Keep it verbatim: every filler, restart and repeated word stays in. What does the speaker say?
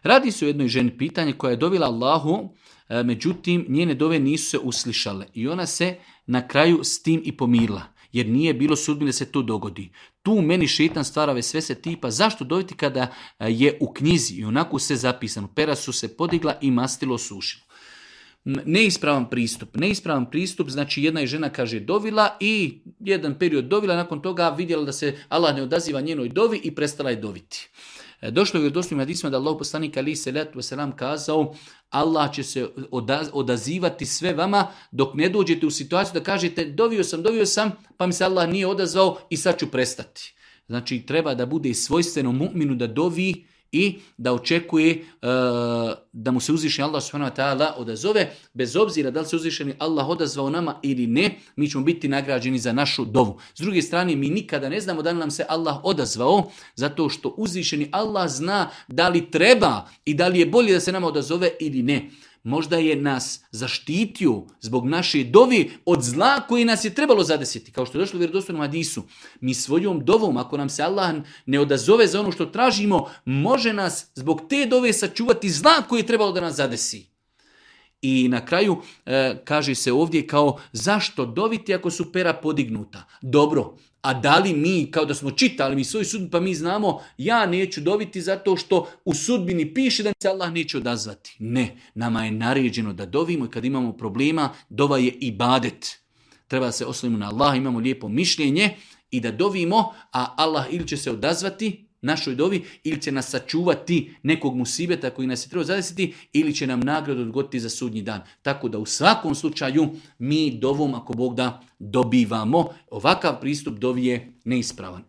Radi se o jednoj ženi, pitanje koja je dovila Allahu, međutim njene dove nisu se uslišale i ona se na kraju s tim i pomirila, jer nije bilo sudbine da se to dogodi. Tu meni šeitan stvara vesvese tipa zašto doviti kada je u knjizi i onako sve zapisano, pera su se podigla i mastilo sušilo. Neispravan pristup. Neispravan pristup, znači jedna je žena, kaže, dovila i jedan period dovila, nakon toga vidjela da se Allah ne odaziva njenoj dovi i prestala je doviti. Došlo je u doslovnim hadisima da Allah poslanik alejhi selatu vesselam kazao Allah će se odazivati sve vama dok ne dođete u situaciju da kažete dovio sam, dovio sam, pa mi se Allah nije odazvao i sad ću prestati. Znači treba da bude svojstveno mu'minu da dovi i da očekuje uh, da mu se uzvišeni Allah subhanahu wa ta'ala odazove, bez obzira da li se uzvišeni Allah odazvao nama ili ne, mi ćemo biti nagrađeni za našu dovu. S druge strane, mi nikada ne znamo da li nam se Allah odazvao, zato što uzvišeni Allah zna da li treba i da li je bolje da se nama odazove ili ne. Možda je nas zaštitio zbog naše dovi od zla koji nas je trebalo zadesiti. Kao što je došlo u vjerodostojnom hadisu. Mi svojom dovom, ako nam se Allah ne odazove za ono što tražimo, može nas zbog te dove sačuvati zla koji je trebalo da nas zadesi. I na kraju e, kaže se ovdje kao zašto doviti ako su pera podignuta? Dobro, a da li mi, kao da smo čitali mi svoju sudbinu, pa mi znamo ja neću doviti zato što u sudbini piše da se Allah neće odazvati. Ne, nama je naređeno da dovimo i kad imamo problema, dova je ibadet. Treba da se oslonimo na Allah, imamo lijepo mišljenje i da dovimo, a Allah ili će se odazvati našoj dovi ili će nas sačuvati nekog musibeta koji nas je trebao zadesiti ili će nam nagradu odgoditi za sudnji dan. Tako da u svakom slučaju mi dovom, ako Bog da, dobivamo. Ovakav pristup dovi je neispravan.